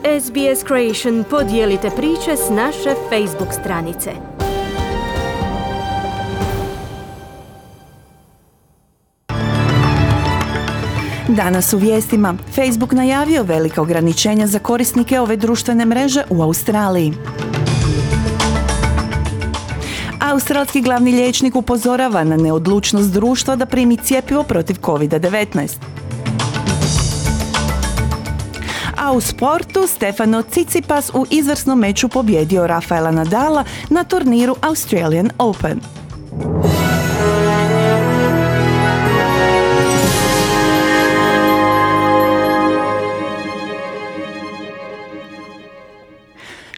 SBS Creation podijelite priče s naše Facebook stranice. Danas u vijestima Facebook najavio velika ograničenja za korisnike ove društvene mreže u Australiji. Australski glavni liječnik upozorava na neodlučnost društva da primi cjepivo protiv COVID-19. A u sportu Stefano Tsitsipas u izvrsnom meču pobjedio Rafaela Nadala na turniru Australian Open.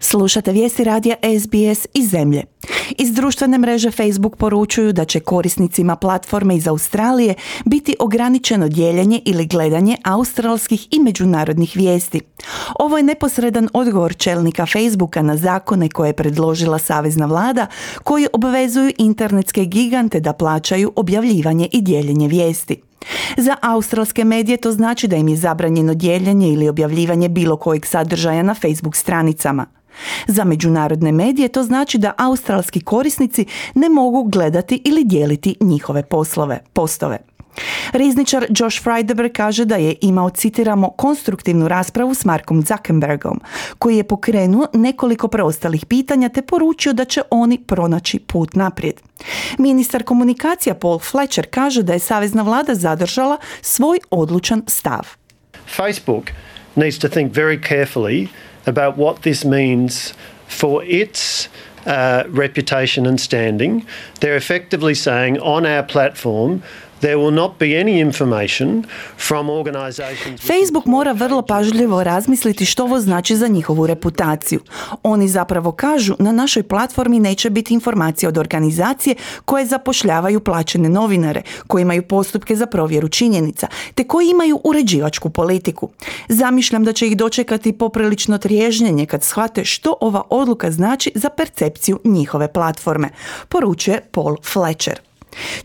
Slušate vijesti radija SBS iz zemlje. Iz društvene mreže Facebook poručuju da će korisnicima platforme iz Australije biti ograničeno dijeljenje ili gledanje australskih i međunarodnih vijesti. Ovo je neposredan odgovor čelnika Facebooka na zakone koje je predložila savezna vlada, koji obvezuju internetske gigante da plaćaju objavljivanje i dijeljenje vijesti. Za australske medije to znači da im je zabranjeno dijeljenje ili objavljivanje bilo kojeg sadržaja na Facebook stranicama. Za međunarodne medije to znači da australski korisnici ne mogu gledati ili dijeliti njihove postove. Rizničar Josh Frydenberg kaže da je imao, citiramo, konstruktivnu raspravu s Markom Zuckerbergom, koji je pokrenuo nekoliko preostalih pitanja te poručio da će oni pronaći put naprijed. Ministar komunikacija Paul Fletcher kaže da je savezna vlada zadržala svoj odlučan stav. Facebook needs to think very carefully about what this means for its reputation and standing. They're effectively saying on our platform there will not be any information from organizations. Facebook mora vrlo pažljivo razmisliti što ovo znači za njihovu reputaciju. Oni zapravo kažu na našoj platformi neće biti informacija od organizacije koje zapošljavaju plaćene novinare, koji imaju postupke za provjeru činjenica, te koji imaju uređivačku politiku. Zamišljam da će ih dočekati poprilično triježnjenje kad shvate što ova odluka znači za percepciju njihove platforme, poručuje Paul Fletcher.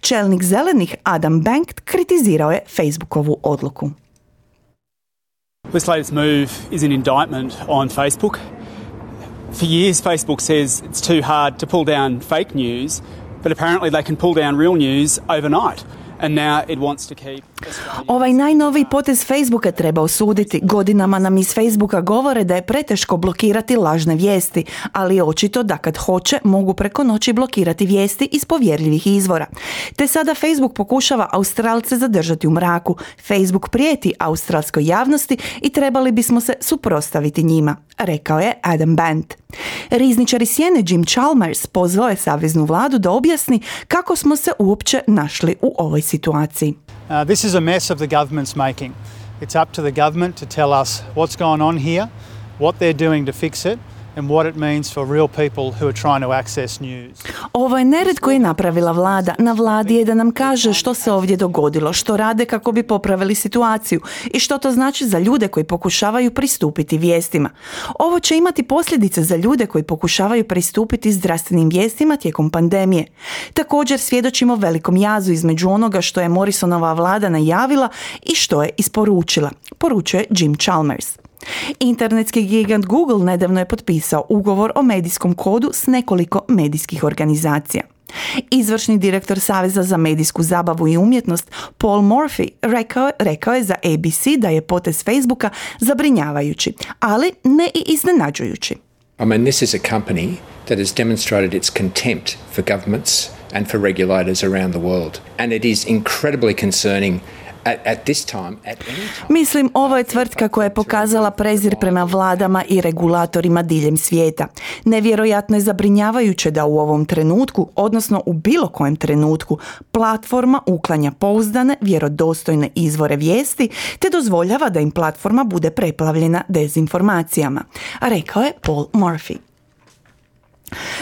Čelnik zelenih Adam Bank kritizirao je Facebookovu odluku. This latest move is an indictment on Facebook. For years Facebook says it's too hard to pull down fake news, but apparently they can pull down real news overnight. And now it wants to keep... Ovaj najnoviji potez Facebooka treba osuditi. Godinama nam iz Facebooka govore da je preteško blokirati lažne vijesti, ali je očito da kad hoće mogu preko noći blokirati vijesti iz povjerljivih izvora. Te sada Facebook pokušava Australce zadržati u mraku. Facebook prijeti australskoj javnosti i trebali bismo se suprotstaviti njima, rekao je Adam Band. Rizničar iz Sjene Jim Chalmers pozvao je saveznu vladu da objasni kako smo se uopće našli u ovoj situaciji. This is a mess of the government's making. It's up to the government to tell us what's going on here, what they're doing to fix it, and what it means for real people who are trying to access news. Ovo je nered koji je napravila vlada. Na vladi je da nam kaže što se ovdje dogodilo, što rade kako bi popravili situaciju i što to znači za ljude koji pokušavaju pristupiti vijestima. Ovo će imati posljedice za ljude koji pokušavaju pristupiti zdravstvenim vijestima tijekom pandemije. Također svjedočimo velikom jazu između onoga što je Morrisonova vlada najavila i što je isporučila, poručuje Jim Chalmers. Internetski gigant Google nedavno je potpisao ugovor o medijskom kodu s nekoliko medijskih organizacija. Izvršni direktor Saveza za medijsku zabavu i umjetnost Paul Morphy rekao je za ABC da je potez Facebooka zabrinjavajući, ali ne i iznenađujući. I mean, this is a company that has demonstrated its contempt for governments and for regulators around the world. And it is incredibly concerning Mislim, ovo je tvrtka koja je pokazala prezir prema vladama i regulatorima diljem svijeta. Nevjerojatno je zabrinjavajuće da u ovom trenutku, odnosno u bilo kojem trenutku, platforma uklanja pouzdane, vjerodostojne izvore vijesti te dozvoljava da im platforma bude preplavljena dezinformacijama, rekao je Paul Morphy.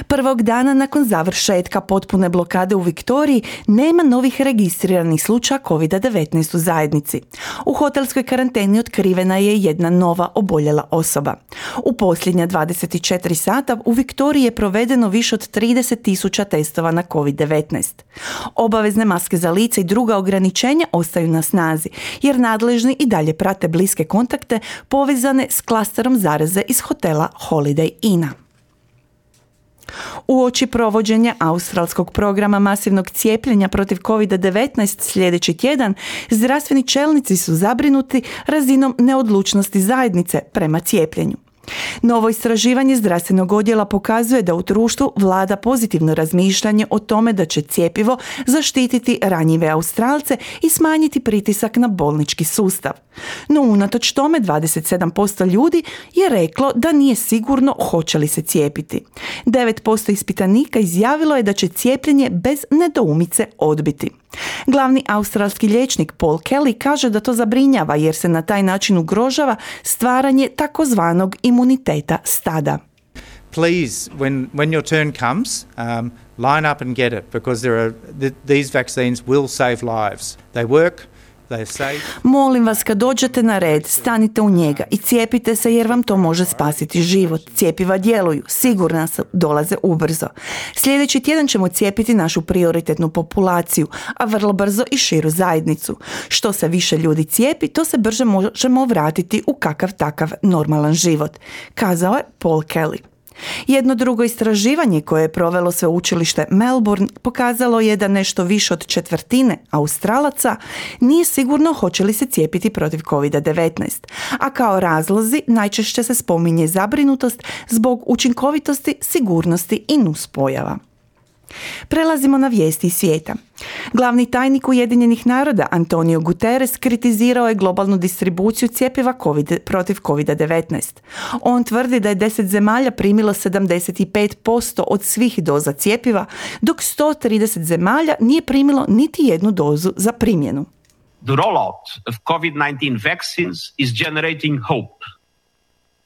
Prvog dana nakon završetka potpune blokade u Viktoriji nema novih registriranih slučaja COVID-19 u zajednici. U hotelskoj karanteni otkrivena je jedna nova oboljela osoba. U posljednja 24 sata u Viktoriji je provedeno više od 30.000 testova na COVID-19. Obavezne maske za lice i druga ograničenja ostaju na snazi, jer nadležni i dalje prate bliske kontakte povezane s klasterom zaraze iz hotela Holiday Inna. Uoči provođenja australskog programa masivnog cijepljenja protiv COVID-19 sljedeći tjedan, zdravstveni čelnici su zabrinuti razinom neodlučnosti zajednice prema cijepljenju. Novo istraživanje zdravstvenog odjela pokazuje da u društvu vlada pozitivno razmišljanje o tome da će cjepivo zaštititi ranjive Australce i smanjiti pritisak na bolnički sustav. No unatoč tome 27% ljudi je reklo da nije sigurno hoće li se cijepiti. 9% ispitanika izjavilo je da će cijepljenje bez nedoumice odbiti. Glavni australski liječnik Paul Kelly kaže da to zabrinjava jer se na taj način ugrožava stvaranje takozvanog imuniteta stada. Please, when your turn comes, line up and get it because these vaccines will save lives. They work. Molim vas, kad dođete na red, stanite u njega i cijepite se jer vam to može spasiti život. Cijepiva djeluju, sigurno dolaze ubrzo. Sljedeći tjedan ćemo cijepiti našu prioritetnu populaciju, a vrlo brzo i širu zajednicu. Što se više ljudi cijepi, to se brže možemo vratiti u kakav takav normalan život, kazao je Paul Kelly. Jedno drugo istraživanje koje je provelo sveučilište Melbourne pokazalo je da nešto više od četvrtine Australaca nije sigurno hoće li se cijepiti protiv COVID-19, a kao razlozi najčešće se spominje zabrinutost zbog učinkovitosti, sigurnosti i nuspojava. Prelazimo na vijesti iz svijeta. Glavni tajnik Ujedinjenih naroda Antonio Guterres kritizirao je globalnu distribuciju cjepiva protiv COVID-19. On tvrdi da je 10 zemalja primilo 75% od svih doza cjepiva, dok 130 zemalja nije primilo niti jednu dozu za primjenu. The rollout of COVID-19 vaccines is generating hope.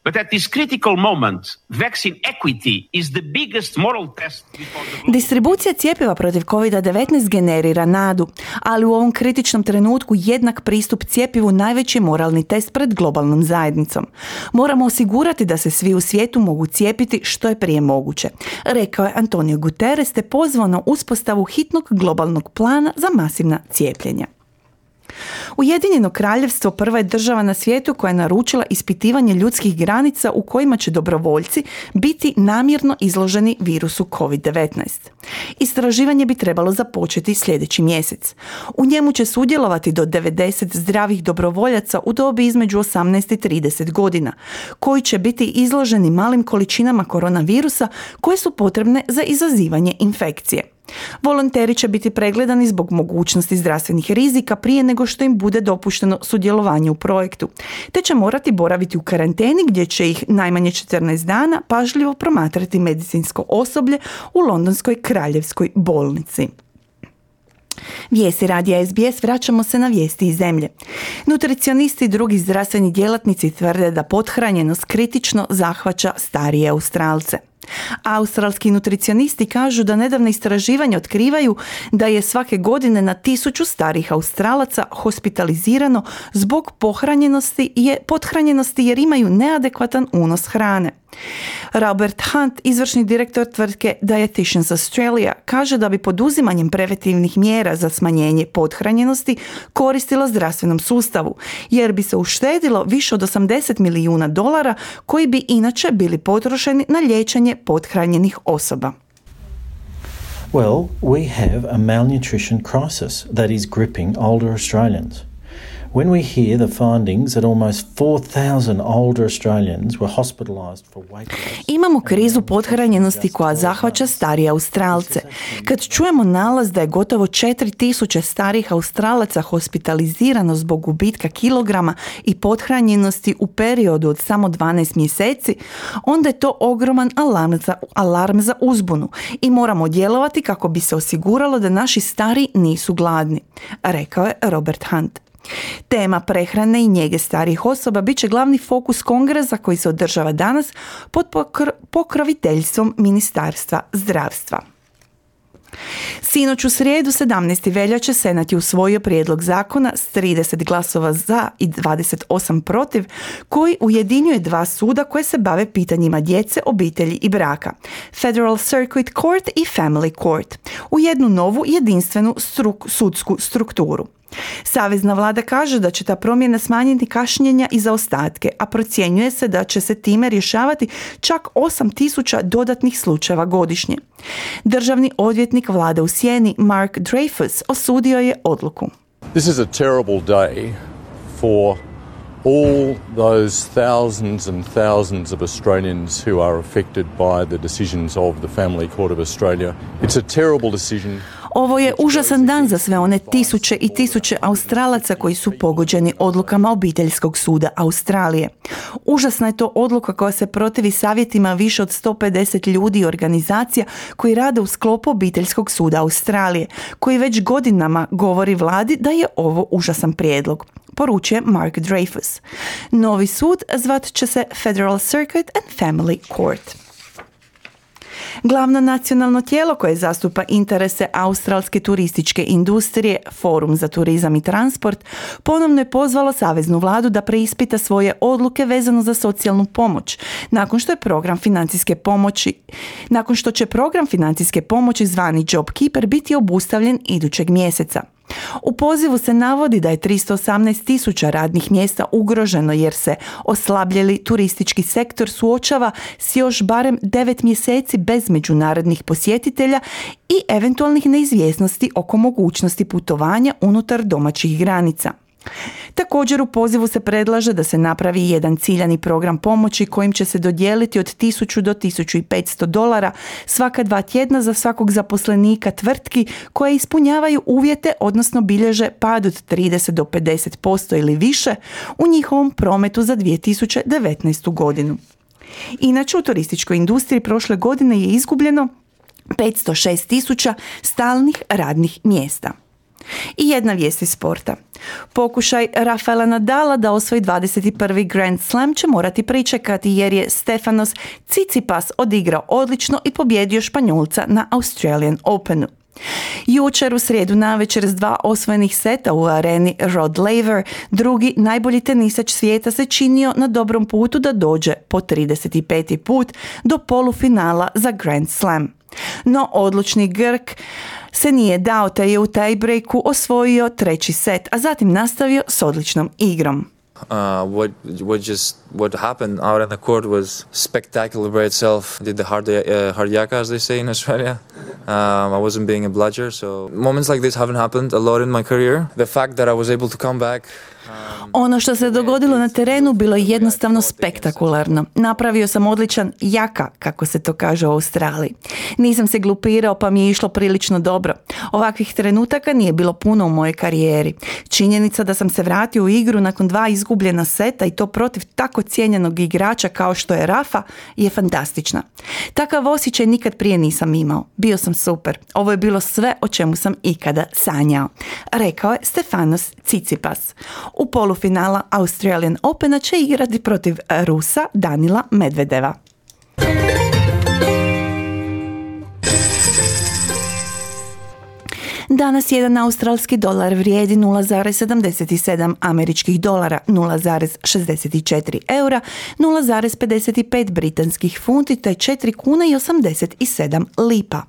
But at this critical moment, vaccine equity is the biggest moral test before the global... Distribucija cjepiva protiv COVID-19 generira nadu, ali u ovom kritičnom trenutku jednak pristup cjepivu najveći moralni test pred globalnom zajednicom. Moramo osigurati da se svi u svijetu mogu cijepiti što je prije moguće, rekao je Antonio Guterres te pozvao na uspostavu hitnog globalnog plana za masivna cijepljenja. Ujedinjeno kraljevstvo prva je država na svijetu koja je naručila ispitivanje ljudskih granica u kojima će dobrovoljci biti namjerno izloženi virusu COVID-19. Istraživanje bi trebalo započeti sljedeći mjesec. U njemu će sudjelovati do 90 zdravih dobrovoljaca u dobi između 18 i 30 godina, koji će biti izloženi malim količinama koronavirusa koje su potrebne za izazivanje infekcije. Volonteri će biti pregledani zbog mogućnosti zdravstvenih rizika prije nego što im bude dopušteno sudjelovanje u projektu, te će morati boraviti u karanteni gdje će ih najmanje 14 dana pažljivo promatrati medicinsko osoblje u Londonskoj kraljevskoj bolnici. Vijesti radija SBS, vraćamo se na vijesti iz zemlje. Nutricionisti i drugi zdravstveni djelatnici tvrde da pothranjenost kritično zahvaća starije Australce. Australski nutricionisti kažu da nedavne istraživanja otkrivaju da je svake godine na 1000 starih Australaca hospitalizirano zbog pothranjenosti jer imaju neadekvatan unos hrane. Robert Hunt, izvršni direktor tvrtke Dietitians Australia, kaže da bi poduzimanjem preventivnih mjera za smanjenje pothranjenosti koristilo zdravstvenom sustavu, jer bi se uštedilo više od $80 milijuna koji bi inače bili potrošeni na liječenje pothranjenih osoba. Well, we have a malnutrition crisis that is gripping older Australians. When we hear the findings that almost 4,000 older Australians were hospitalised for weight loss. Imamo krizu pothranjenosti koja zahvaća starije Australce. Kad čujemo nalaz da je gotovo 4,000 starih Australaca hospitalizirano zbog gubitka kilograma i pothranjenosti u periodu od samo 12 mjeseci, onda je to ogroman alarm za uzbunu i moramo djelovati kako bi se osiguralo da naši stari nisu gladni, rekao je Robert Hunt. Tema prehrane i njege starijih osoba bit će glavni fokus kongresa koji se održava danas pod pokroviteljstvom Ministarstva zdravstva. Sinoć u srijedu 17. veljače Senat je usvojio prijedlog zakona s 30 glasova za i 28 protiv koji ujedinjuje dva suda koje se bave pitanjima djece, obitelji i braka, Federal Circuit Court i Family Court, u jednu novu jedinstvenu sudsku strukturu. Savezna vlada kaže da će ta promjena smanjiti kašnjenja i zaostatke, a procjenjuje se da će se time rješavati čak 8.000 dodatnih slučajeva godišnje. Državni odvjetnik vlade u sjeni Mark Dreyfus osudio je odluku. This is a terrible day for all those thousands and thousands of Australians who are affected by the decisions of the Family Court of Australia. It's a terrible decision. Ovo je užasan dan za sve one tisuće i tisuće Australaca koji su pogođeni odlukama Obiteljskog suda Australije. Užasna je to odluka koja se protivi savjetima više od 150 ljudi i organizacija koji rade u sklopu Obiteljskog suda Australije, koji već godinama govori vladi da je ovo užasan prijedlog, poručuje Mark Dreyfus. Novi sud zvat će se Federal Circuit and Family Court. Glavno nacionalno tijelo koje zastupa interese australske turističke industrije, Forum za turizam i transport, ponovno je pozvalo saveznu vladu da preispita svoje odluke vezano za socijalnu pomoć, nakon što će program financijske pomoći zvani JobKeeper biti obustavljen idućeg mjeseca. U pozivu se navodi da je 318.000 radnih mjesta ugroženo jer se oslabljeli turistički sektor suočava s još barem 9 mjeseci bez međunarodnih posjetitelja i eventualnih neizvjesnosti oko mogućnosti putovanja unutar domaćih granica. Također u pozivu se predlaže da se napravi jedan ciljani program pomoći kojim će se dodijeliti od $1,000 do $1,500 svaka 2 tjedna za svakog zaposlenika tvrtki koje ispunjavaju uvjete, odnosno bilježe pad od 30 do 50% ili više u njihovom prometu za 2019. godinu. Inače, u turističkoj industriji prošle godine je izgubljeno 506.000 stalnih radnih mjesta. I jedna vijest iz sporta. Pokušaj Rafaela Nadala da osvoji 21. Grand Slam će morati pričekati jer je Stefanos Tsitsipas odigrao odlično i pobjedio Španjolca na Australian Openu. Jučer u srijedu navečer s 2 osvojenih seta u areni Rod Laver, drugi najbolji tenisač svijeta se činio na dobrom putu da dođe po 35. put do polufinala za Grand Slam. No odlučni Grk se nije dao te je u tiebreaku osvojio 3. set, a zatim nastavio s odličnom igrom. What happened out on the court was spectacular by itself. Did the hard yaka, as they say in Australia. I wasn't being a bludger, so moments like this haven't happened a lot in my career. The fact that I was able to come back. Ono što se dogodilo na terenu bilo je jednostavno spektakularno. Napravio sam odličan jaka, kako se to kaže u Australiji. Nisam se glupirao pa mi je išlo prilično dobro. Ovakvih trenutaka nije bilo puno u mojoj karijeri. Činjenica da sam se vratio u igru nakon 2 izgubljena seta i to protiv tako cijenjenog igrača kao što je Rafa je fantastična. Takav osjećaj nikad prije nisam imao. Bio sam super. Ovo je bilo sve o čemu sam ikada sanjao, rekao je Stefanos Tsitsipas. U polufinala Australian Opena će igrati protiv Rusa Danila Medvedeva. Danas jedan australski dolar vrijedi 0,77 američkih dolara, 0,64 eura, 0,55 britanskih funti te 4 kuna i 87 lipa.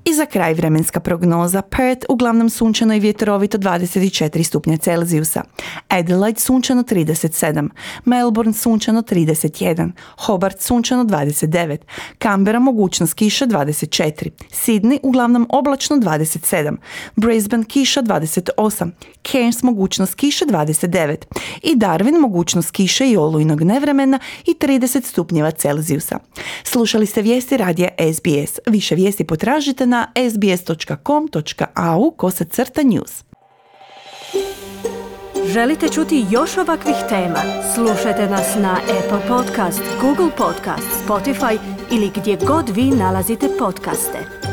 I za kraj vremenska prognoza. Perth uglavnom sunčano i vjetrovito 24 stupnja Celzijusa. Adelaide sunčano 37. Melbourne sunčano 31. Hobart sunčano 29. Canberra mogućnost kiše 24. Sydney uglavnom oblačno 27. Brisbane kiša 28. Cairns mogućnost kiše 29. I Darwin mogućnost kiše i olujnog nevremena i 30 stupnjeva Celzijusa. Slušali ste vijesti radija SBS. Više vijesti potražite na sbs.com.au/news. Želite čuti još ovakvih tema? Slušajte nas na Apple Podcast, Google Podcast, Spotify ili gdje god vi nalazite podcaste.